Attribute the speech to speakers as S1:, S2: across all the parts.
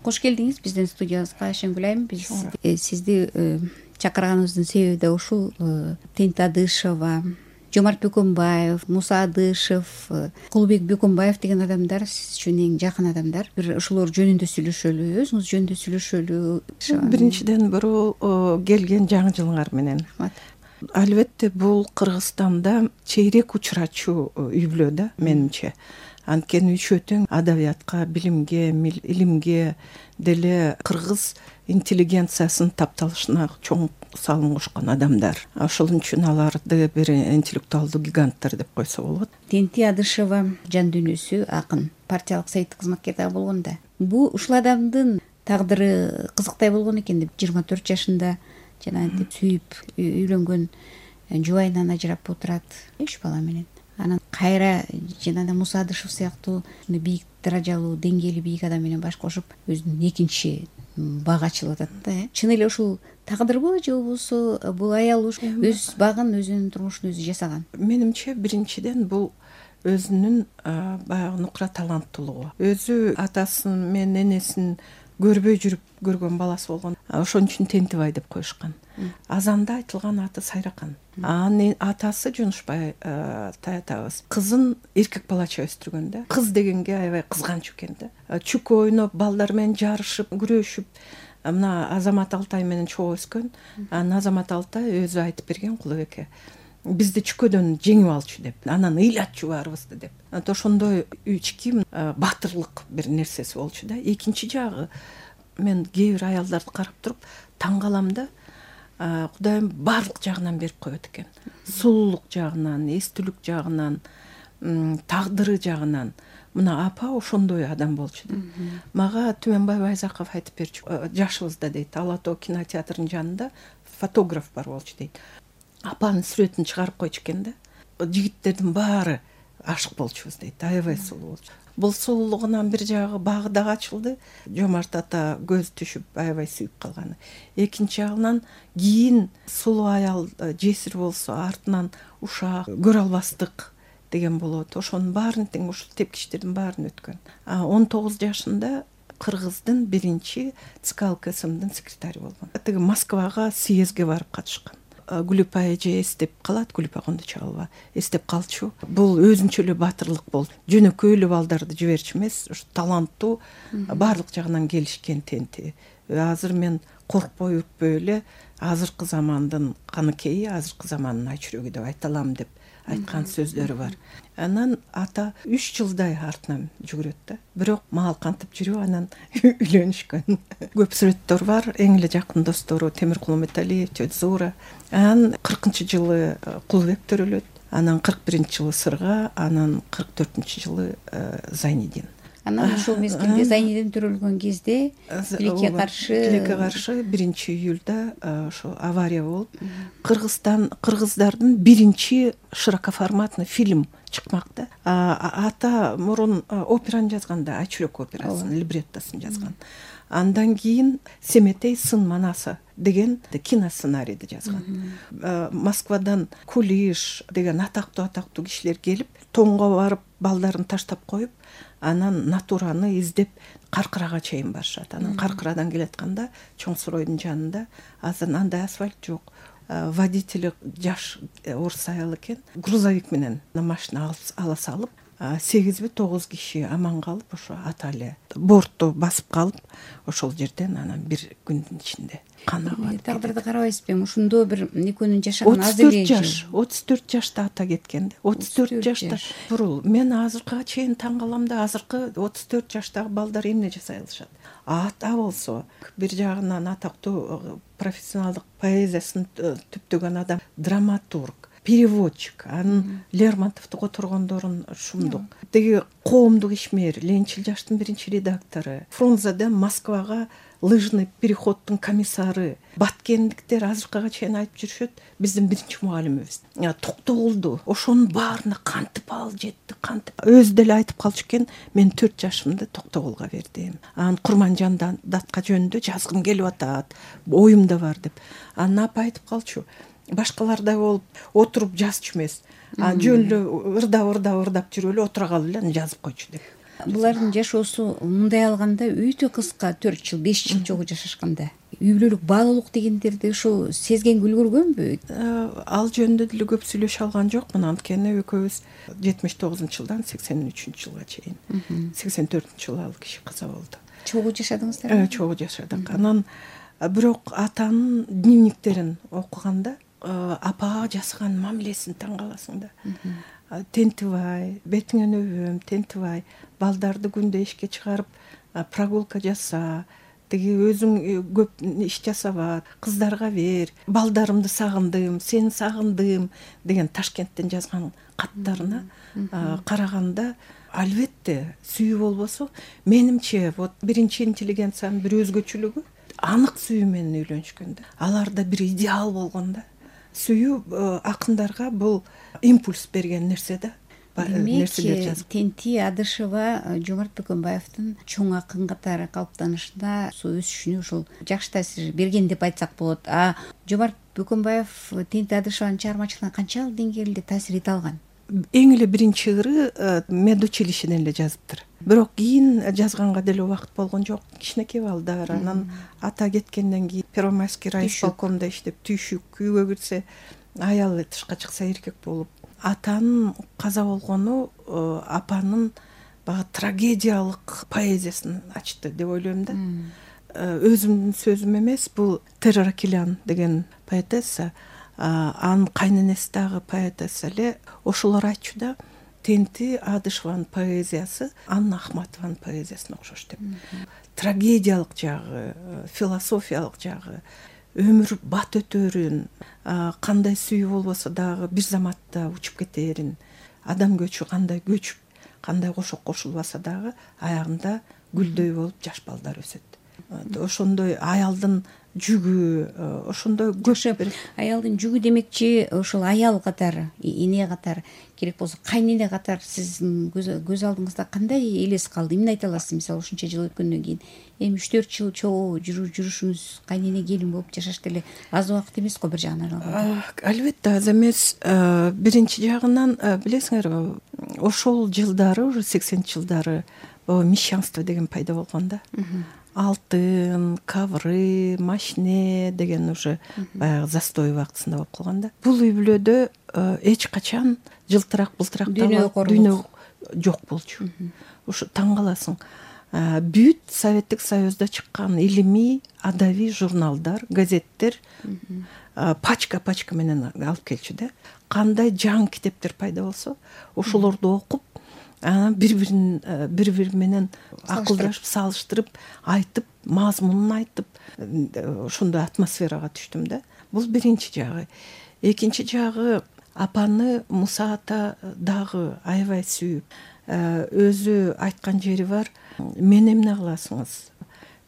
S1: кош келдиңиз биздин студиябызга Айшенгүл айым. Биз сизди чакырганыбыздын себеби да ушул. Тент Адышева, Жомарт Бөкөнбаев, Муса Адышев, Кулубек Бөкөнбаев деген адамдар сиз үчүн эң жакын адамдар. Бир ушулор жөнүндө сүйлөшөлү, өзүңүз жөнүндө сүйлөшөлү.
S2: Биринчиден бирөө келген жаңы жылыңар менен. Албетте бул Кыргызстанда чейрек учурачу үй бүлө да менимче. Анткени үчөө тең адабиятка, билимге, илимге деле кыргыз интеллигенциясынын тапталышына чоң салым кошкон адамдар. Ошол үчүн аларды бир интеллектуалдуу гиганттар деп койсо болот.
S1: Тенти Адышева жан дүйнөсү акын, партиялык советтик кызматкер да болгон да. Бул ушул адамдын тагдыры кызыктай болгон экен деп 24 жашында жанагынтип сүйүп үйлөнгөн жубайынан ажырап отурат 3 бала менен. Анан кайра жанагы Муса Адышев сыяктуу бийик даражалуу, деңгээли бийик адам менен баш кошуп өзүнүн экинчи бак ачылып атат да. Чын эле ушул тагдырбы же болбосо бул аял өз багын, өзүнүн турмушун өзү жасаган?
S2: Менимче биринчиден бул өзүнүн баягы нукра таланттуулугу. Өзү атасын менен энесин көрбөй жүрүп көргөн баласы болгон. Ошон үчүн Тентибай деп коюшкан. Азанда айтылган аты Сайракан. Анын атасы Жунушбай таятабыз кызын эркек балача өстүргөн да. Кыз дегенге аябай кызганч экен да. Чүк ойноп, балдар менен жарышып, күрөшүп, мына Азамат Алтай менен чогуу өскөн. Анан Азамат Алтай өзү айтып берген Кулубекке. Бизди чүкөдөн жеңип алчу деп, анан ыйлатчу баарыбызды деп. Ошондой ички батырлык бир нерсеси болчу да. Экинчи жагы мен кээ бир аялдарды карап туруп таң калам да. Кудайым баардык жагынан берип коет экен. Сулуулук жагынан, эстүүлүк жагынан, тагдыры жагынан. Мына апа ошондой адам болчу да. Мага Түмөнбай Байзаков айтып берчү. Жашыбызда дейт, Ала Тоо кинотеатрынын жанында фотограф бар болчу дейт. Апанын сүрөтүн чыгарып койчу экен да. Жигиттердин баары ашык болчубуз дейт. Аябай сулуу болчу. Бул сулуулугунан бир жагы багы дагы ачылды. Жомарт ата көз түшүп аябай сүйүп калганы. Экинчи жагынан кийин сулуу аял жесир болсо артынан ушак көрө албастык деген болот. Ошонун баарын тең ушул тепкичтердин баарын өткөн. 19 жашында Кыргыздын биринчи ЦК ЛКСМдин секретарь болгон. Тиги Москвага съездге барып катышкан. Гүлүпа эже эстеп калат, Гүлүпа Кондочалова эстеп калчу. Бул өзүнчө эле батырлык болду. Жөнөкөй эле балдарды жиберчү эмес, ушу таланттуу, баардык жагынан келишкен Тенти. Азыр мен коркпой үрпөй эле азыркы замандын каныкейи, азыркы замандын айчүрөгү деп айта алам деп айткан сөздөрү бар. Анан ата 3 жылдай артынан жүгүрөт да. Бирок мал кантип жүрүп анан үйлөнүшкөн. Көп сүрөттөр бар. Эң эле жакын достору Темиркул Металиев, Зура. Анан 40-жылы Кулубек төрөлөт. Анан 41-жылы Сырга, анан 44-жылы Зайнидин.
S1: Анан ушул мезгилде Зайнидин төрөлгөн кезде тилекке каршы
S2: 1-июлда ошо авария болуп, кыргыздардын биринчи широкоформатный фильм чыкмак да. Ата мурун операны жазганда, Айчүрөк операсын, либреттосун жазган. Андан кийин Семетей сын манасы деген киносценарийди жазган. Москвадан Кулиш деген атактуу кишилер келип, тоңго барып балдарын таштап коюп, анан натураны издеп Каркырага чейин барышат. Анан Каркырадан келатканда Чоң Суройдун жанында азыр андай асфальт жок. Водители жаш орус аял экен. Грузовик менен машина ала салып, 8-9 киши аман калып, ошо ата эле бортту басып калып, ошол жерден анан бир күндүн ичинде канагат.
S1: Тагдырды карабайсызбы? Ушундо бир экөөнүн жашаган аз эле
S2: 34 жашта ата кеткен да. 34 жашта. Бурул мен азыркыга чейин таң калам да, азыркы 34 жаштагы балдар эмне жасай алышат? Ата болсо бир жагынан атактуу профессионалдык поэзиясын түптөгөн адам, драматург, переводчик, анын Лермонтовду которгондорун шумдук. Теги коомдук ишмер, Ленчил жаштын биринчи редактору, Фрунзеден Москвага лыжный переходдун комиссары, Баткендиктер азыркыга чейин айтып жүрүшөт, биздин биринчи мугалимибиз. Токтогулду, ошонун баарына кантип ал жетти, кантип. Өзү деле айтып калчу экен, мен 4 жашымда Токтогулга бердим. Анан Курманжан датка жөнүндө жазгым келип атат, оюмда бар деп. Анан апа айтып калчу, башкалардай болуп отуруп жазчу эмес. Жөн эле ырдап жүрүп эле отура калып эле жазып койчу деп.
S1: булардын жашоосу мындай алганда өтө кыска, 4 жыл 5 жыл чогуу жашашканда үй бүлөлүк баалуулук дегендерди ушул сезгенге үлгүргөнбү?
S2: Ал жөнүндө деле көп сүйлөшө алган жокмун, анткени экөөбүз 79-жылдан 83-жылга чейин 84-жылы ал киши каза болду.
S1: Чогуу жашадыңыздар?
S2: Чогуу жашадык. Анан бирок атанын дневниктерин окуганда апага жасаган мамилесин таң каласың да. Тентибай, бетиңен өбөм, тентибай, балдарды күндө ишке чыгарып прогулка жаса, тиги өзүң көп иш жасаба, кыздарга бер, балдарымды сагындым, сени сагындым деген Ташкенттен жазган каттарына караганда, албетте сүйүү болбосо, менимче вот биринчи интеллигенциянын бир өзгөчөлүгү анык сүйүү менен үйлөнүшкөн да. Аларда бир идеал болгон да. Сүйүү акындарга бул импульс берген нерсе да. Нерселер жазып.
S1: Тенти Адышева Жомарт Бөкөнбаевдин чоң акын катары калыптанышына, өсүшүнө ушул жакшы таасир берген деп айтсак болот. Жомарт Бөкөнбаев Тенти Адышеванын чыгармачылыгына канчалык деңгээлде таасир эте алган?
S2: Эң эле биринчи ыры медучилищеден эле жазыптыр. Бирок кийин жазганга деле убакыт болгон жок. Кичинекей балдар, анан ата кеткенден кийин Первомайский райисполкомдо иштеп, түйшүк, үйгө кирсе аял, тышка чыкса эркек болуп. Атанын каза болгону апанын баягы трагедиялык поэзиясын ачты деп ойлойм да. Өзүмдүн сөзүм эмес, бул Терра Килян деген поэтесса, анын кайненеси дагы поэтесса эле ошолор айтчу да, Тенти Адышеванын поэзиясы Анна Ахматованын поэзиясына окшош деп. Трагедиялык жагы, философиялык жагы, өмүр бат өтөрүн, кандай сүйүү болбосо дагы бир заматта учуп кетерин, адам көчү кандай көчүп, кандай кошок кошулбаса дагы аягында гүлдөй болуп жаш балдар өсөт. Ошондой аялдын жүгү, ошондой көп.
S1: Аялдын жүгү демекчи, ошол аял катары, эне катары, керек болсо кайнене катары сиздин көз алдыңызда кандай элес калды? Эмне айта аласыз? Мисалы, ушунча жыл өткөндөн кийин эми 3-4 жыл чогуу жүрүшүңүз, кайнене келин болуп жашаш деле аз убакыт эмес го бир жагынан алганда.
S2: Албетте аз эмес. Биринчи жагынан билесиңерби, ошол жылдары, уже 80-жылдары мещанство деген пайда болгон да. Алтын, кавры, машине деген уже баягы застой убактысында болуп калган да. Бул үй бүлөдө эч качан жылтырак, былтырак дүйнө жок болчу. Ушу таң каласың. Бүт Советтик Союзда чыккан илимий, адабий журналдар, газеттер пачка менен алып келчү да. Кандай жаңы китептер пайда болсо, ошолорду окуп, анан бири менен акылдашып, салыштырып, айтып, мазмунун айтып, ошондой атмосферага түштүм да. Бул биринчи жагы. Экинчи жагы, апаны Муса ата дагы аябай сүйүп, өзү айткан жери бар. Мен эмне кыласыңыз?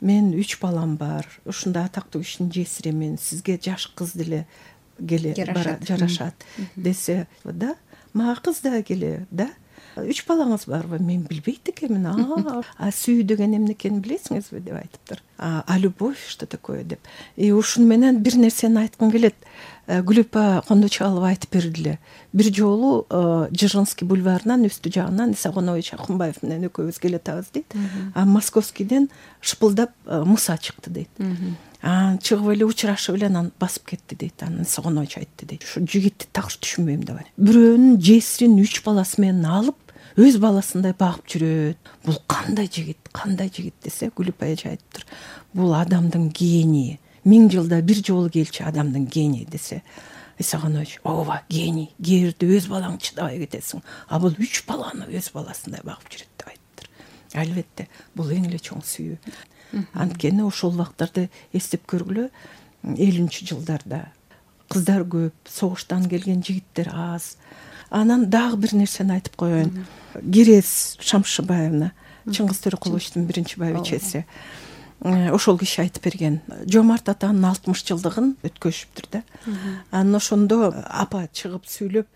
S2: Мен 3 балам бар. Ушундай атактуу кишинин жесиремин. Сизге жаш кыз деле келе жарашат десе да, мага кыз да келе да. 3 балаңыз барбы? Мен билбейт экенмин. Сүйүү деген эмне экенин билесиңизби деп айтыптыр. А любовь что такое деп. Ушуну менен бир нерсени айткым келет. Гүлүпа Кондочалова айтып бердиле. Бир жолу Жиргинский бульварынан үстү жагынан Исагонович Акунбаев менен экөөбүз келатабыз дейт. Московскийден шыпылдап Муса чыкты дейт. Чыгып эле учурашып эле анан басып кетти дейт. Анан Исагонович айтты дейт. Ушу жигитти так түшүнбөйм деп. Бирөөнүн жесирин 3 баласы менен алып, өз баласындай багып жүрөт. Бул кандай жигит десе, Гүлүпа эже айтыптыр. Бул адамдын гении. 1000 жылда бир жолу келчү адамдын гении десе, Исагонович, ооба, гений. Кээде өз балаң чыдабай кетесиң. А бул 3 баланы өз баласындай багып жүрөт деп айтыптыр. Албетте, бул эң эле чоң сүйүү. Анткени ошол убактарды эстеп көргүлө, 50-жылдарда кыздар көп, согуштан келген жигиттер аз. Анан дагы бир нерсени айтып коеюн. Керез Шамшыбаевна, Чыңгыз Төрөкуловичтин биринчи байбичеси. Ошол киши айтып берген. Жомарт атанын 60 жылдыгын өткөзүптүр да. Анан ошондо апа чыгып сүйлөп,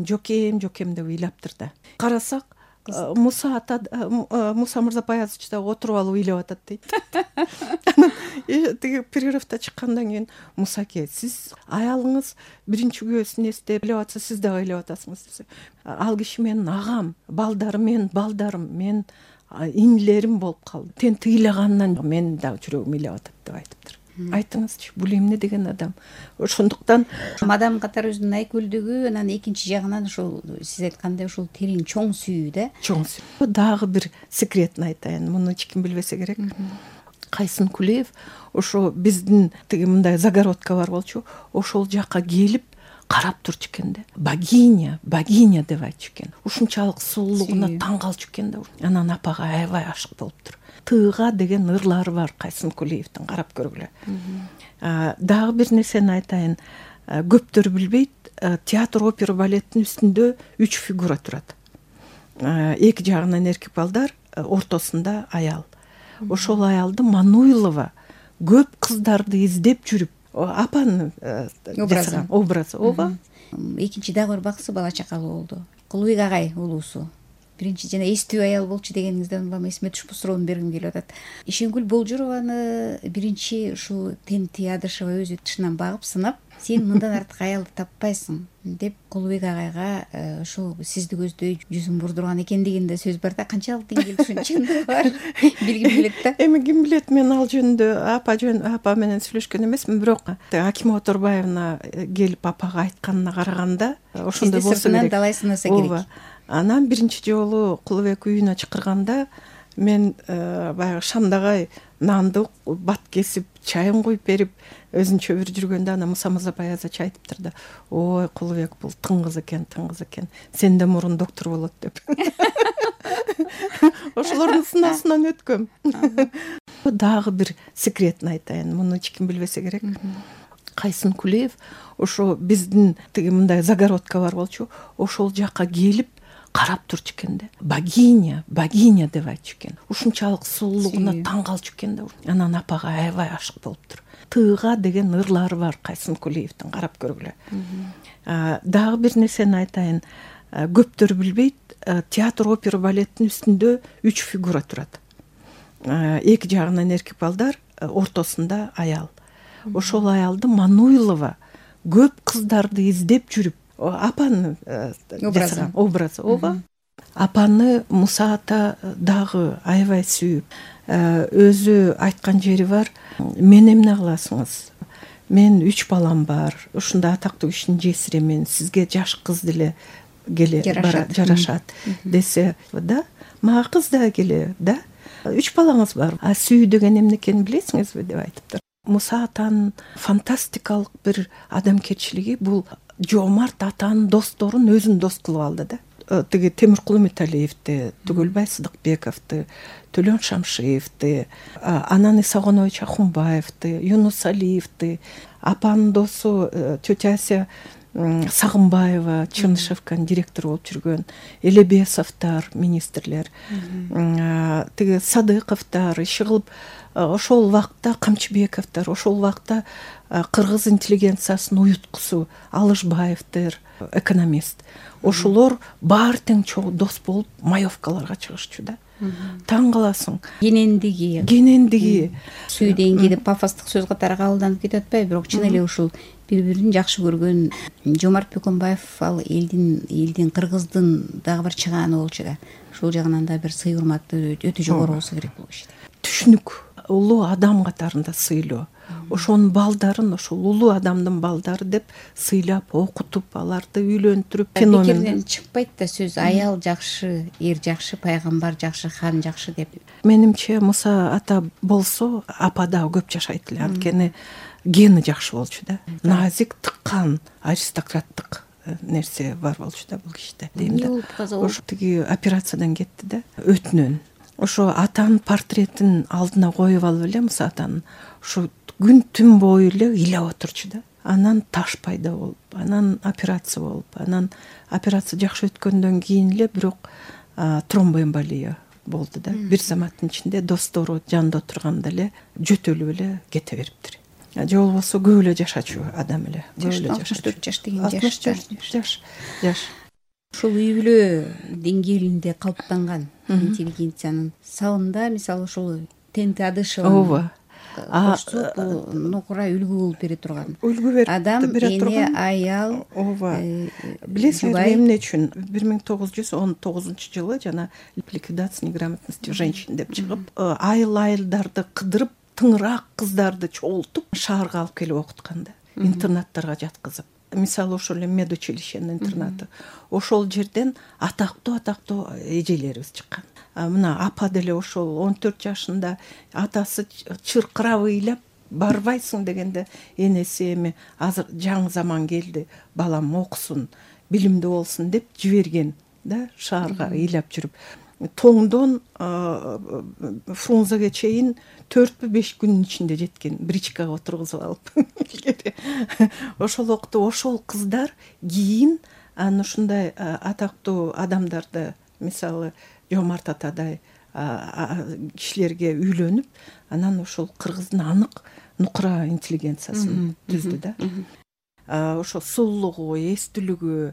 S2: жокем деп ыйлаптыр да. Карасак, Муса Мырзапаязович да отуруп алып ыйлап атат дейт. Тиги перерывда чыккандан кийин Мусаке, сиз аялыңыз биринчи күйөөсүн эстеп элеп атса, сиз дагы элеп атасыңыз десе, ал киши менин агам, менин балдарым, мен инилерим болуп калды. Тен тыйлагандан менин дагы жүрөгүм элеп атат деп айтыптыр. Айтыңызчы, бул эмне деген адам? Ошондуктан
S1: адам катары өзүнүн айкөлдүгү, анан экинчи жагынан ушул сиз айткандай ушул терең чоң сүйүү да.
S2: Чоң сүйүү. Дагы бир секретин айтайын. Муну эч ким билбесе керек. Кайсын Кулиев ошо биздин тиги мындай загородка бар болчу, ошол жакка келип карап турчу экен да. Богиня деп айтчу экен. Ушунчалык сулуулугуна таң калчу экен да. Анан апага аябай ашык болуптур. Тыга деген ырлары бар Кайсын Кулиевдин, карап көргүлө. Дагы бир нерсени айтайын. Көптөр билбейт, театр, опера, балеттин үстүндө 3 фигура турат. Эки жагынан эркек балдар, ортосунда аял. Ошол аялды Мануйлова көп кыздарды издеп жүрүп, апанын образы. Ооба.
S1: Экинчи дагы бир баксы бала чакалуу болду. Кулубек агай улуусу. Биринчи жана эстүү аял болчу дегениңизден улам эсиме түшүп суроону бергим келип атат. Ишенгүл Болжурованы биринчи ушул Тенти Адышева өзү тышынан багып сынап, сен мындан артык аялды таппайсың деп Кулубек агайга ушул сизди көздөй жүзүн бурдурган экендигинде сөз бар да. Канчалык деңгээлде ушунун чындыгы бар билгим келет да.
S2: Эми ким билет, мен ал жөнүндө апа менен сүйлөшкөн эмесмин, бирок Акима Оторбаевна келип апага айтканына караганда ошондой болсо керек.
S1: Далай сынаса керек.
S2: Анан биринчи жолу Кулубек үйүнө чакырганда мен баягы Шамдагай нанды бат кесип, чайын куюп берип, өзүнчө бир жүргөндө ана Муса Музабай азачы айтыптыр да. Ой, Кулубек бул тың кыз экен. Сенден мурун доктор болот деп. Ошолордун сынаасынан өткөм. Дагы бир секретин айтайын. Муну эч ким билбесе керек. Кайсын Кулиев ошо биздин тиги мындай загородка бар болчу, ошол жакка келип карап турчу экен да. Богиня деп айтчу экен. Ушунчалык сулуулугуна таң калчу экен да. Анан апага аябай ашык болуптур. Тыга деген ырлары бар Кайсын Кулиевдин, карап көргүлө. Дагы бир нерсени айтайын. Көптөр билбейт, театр, опера, балеттин үстүндө 3 фигура турат. Эки жагынан эркек балдар, ортосунда аял. Ошол аялды Мануйлова көп кыздарды издеп жүрүп, апанын образы. Ооба. Апаны Муса ата дагы аябай сүйүп, өзү айткан жери бар. Мен эмне кыласыңыз? Мен 3 балам бар. Ушундай атактуу кишинин жесиремин. Сизге жаш кыз деле келе жарашат десе да, мага кыз да келе да. 3 балаңыз бар. Сүйүү деген эмне экенин билесиңизби деп айтыптыр. Муса атанын фантастикалык бир адамгерчилиги бул жоомарт атанын досторун өзүн дос кылып алды да. Тиги Темиркул Үмүталиевди, Түгөлбай Сыдыкбековду, Төлөн Шамшиевди, анан Исагонович Ахунбаевди, Юнус Алиевди, апанын досу тетя Ася Сагынбаева, Чынышевканын директору болуп жүргөн, Элебесовдор, министрлер, тиги Садыковдор, иши кылып, ошол убакта Камчыбековдор, ошол убакта кыргыз интеллигенциясынын уюткусу Алышбаевдер, экономист. Ошолор баары тең чогуу дос болуп маевкаларга чыгышчу да. Таң каласың. Кенендиги.
S1: Сүйүү дегенде пафостук сөз катары кабылданып кетип атпайбы, бирок чын эле ушул бири-бирин жакшы көргөн Жомарт Бөкөнбаев ал элдин кыргыздын дагы бир чыгааны болчу да. Ушул жагынан да бир сый урматы өтө жогору болсо керек бул кишиде.
S2: Түшүнүк, улуу адам катарында сыйлоо. Ошонун балдарын, ошол улуу адамдын балдары деп сыйлап, окутуп, аларды үйлөндүрүп,
S1: феномен чыкпайт да сөз аял жакшы, эр жакшы, пайгамбар жакшы, хан жакшы деп.
S2: Менимче Муса ата болсо, апа да көп жашайт эле, анткени гени жакшы болчу да. Назик, тыккан, аристократтык нерсе бар болчу да бул кишиде. Ошо тиги операциядан кетти да, өтүнөн. Ошо атанын портретин алдына коюп алып эле Муса атанын, ошо күн түн бою эле ыйлап отурчу да. Анан таш пайда болуп, анан операция болуп, анан операция жакшы өткөндөн кийин эле бирок тромбоэмболия болду да. Бир заматтын ичинде достору жанында отурганда эле жөтөлүп эле кете бериптир. Же болбосо көп эле жашачу адам эле.
S1: 64 жаш деген
S2: жаш.
S1: Ушул үй бүлө деңгээлинде калыптанган интеллигенциянын сабында, мисалы ушул Тенти Адышева кошсок, бул нукура үлгү болуп бере турган.
S2: Үлгү берип
S1: Адам,
S2: бере
S1: эне,
S2: турган.
S1: аял,
S2: ооба. Билесиңерби эмне үчүн 1919-жылы жана ликвидация неграмотности женщин деп чыгып, айыл-айылдарды кыдырып, тыңыраак кыздарды чогултуп шаарга алып келип окуткан да, интернаттарга жаткызып. Мисалы ошол эле медучилищенин интернаты. Ошол жерден атактуу эжелерибиз чыккан. Мына апа деле ошол 14 жашында атасы чыркырап ыйлап барбайсың дегенде, энеси эми азыр жаңы заман келди, балам окусун, билимдүү болсун деп жиберген да, шаарга ыйлап жүрүп. Тоңдон Фрунзеге чейин 4-5 күнүн ичинде жеткен, бричкага отургузуп алып. Ошол окту ошол кыздар кийин аны ушундай атактуу адамдарды, мисалы Жомарт атадай кишилерге үйлөнүп, анан ошол кыргыздын анык нукура интеллигенциясын түздү да. Ошо сулуулугу, эстүүлүгү,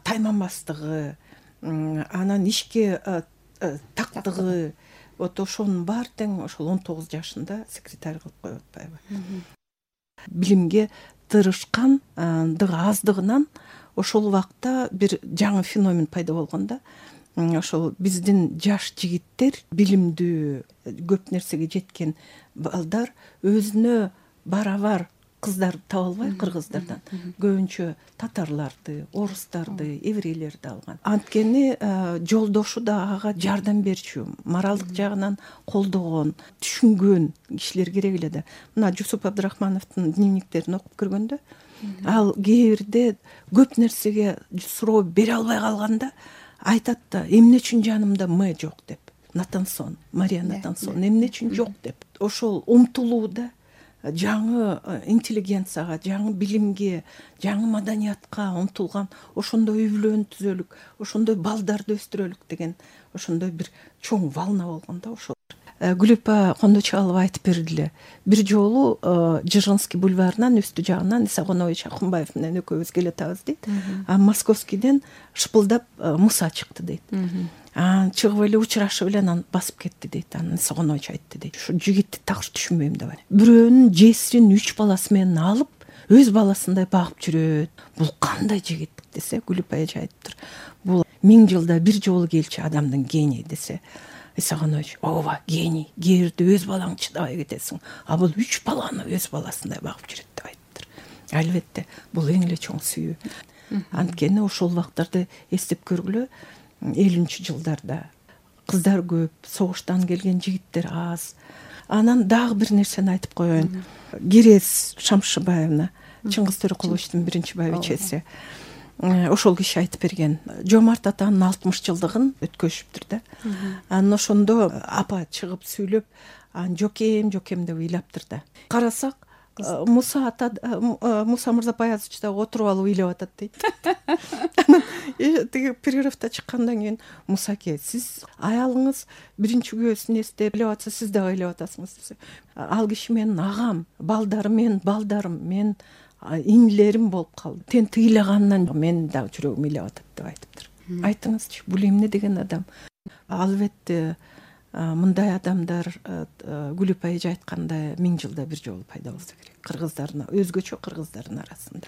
S2: тайманбастыгы, анан ишке тактыгы, вот ошонун баары тең ошол 19 жашында секретарь кылып коюп атпайбы. Билимге тырышкандыгы аздыгынан ошол убакта бир жаңы феномен пайда болгон да. Ошол биздин жаш жигиттер, билимдүү, көп нерсеге жеткен балдар өзүнө барабар кыздарды таба албай кыргыздардан көбүнчө татарларды, орустарды, еврейлерди алган. Анткени жолдошу да ага жардам берчү, моралдык жагынан колдогон, түшүнгөн кишилер керек эле да. Мына Жусуп Абдрахмановдун дневниктерин окуп көргөндө, ал кээ бирде көп нерсеге суроо бере албай калганда айтат да, эмне үчүн жанымда М жок деп. Натансон, Мария Натансон, эмне үчүн жок деп. Ошол умтулууда жаңы интеллигенцияга, жаңы билимге, жаңы маданиятка умтулган, ошондой үй-бүлөнү түзөлүк, ошондой балдарды өстүрөлүк деген ошондой бир чоң волна болгон да ошол. Гүлүпа Кондочалова айтып бердиле. Бир жолу Дзержинский бульварынан үстү жагынан Исагонович Акунбаев менен экөөбүз келатабыз дейт. Московскийден шыпылдап Муса чыкты дейт. Чыгып эле учурашып эле анан басып кетти дейт. Анан Исагонович айтты дейт. Ушу жигитти такыр түшүнбөйм деп. Бирөөнүн жесирин 3 баласы менен алып, өз баласындай багып жүрөт. Бул кандай жигит десе, Гүлүпа эже айтыптыр. Бул 1000 жылда бир жолу келчү адамдын гении десе. Исагонович, ооба, гений, кээ бирде өз балаң чыдабай кетесиң, а бул 3 баланы өз баласындай багып жүрөт деп айтыптыр. Албетте, бул эң эле чоң сүйүү. Анткени ошол убактарды эстеп көргүлө, 50-жылдарда кыздар көп, согуштан келген жигиттер аз. Анан дагы бир нерсени айтып коеюн. Керез Шамшыбаевна, Чыңгыз Төрөкуловичтун биринчи байбичеси. Ошол киши айтып берген. Жомарт атанын 60 жылдыгын өткөзүптүр да. Анан ошондо апа чыгып сүйлөп, жокем деп ыйлаптыр да. Карасак, Муса Мырзапаязович да отуруп алып ыйлап атат дейт. Тиги перерывда чыккандан кийин Мусаке, сиз аялыңыз биринчи күйөөсүн эстеп ыйлап атса, сиз дагы ыйлап атасыңыз десе. Ал киши менин агам, балдарым, мен инилерим болуп калды. Тен тыйлагандан мен дагы жүрөгүм ыйлап атат деп айтыптыр. Айтыңызчы, бул эмне деген адам? Албетте мындай адамдар Гүлүпа эже айткандай 1000 жылда бир жолу пайда болсо керек. Кыргыздардын, өзгөчө кыргыздардын арасында.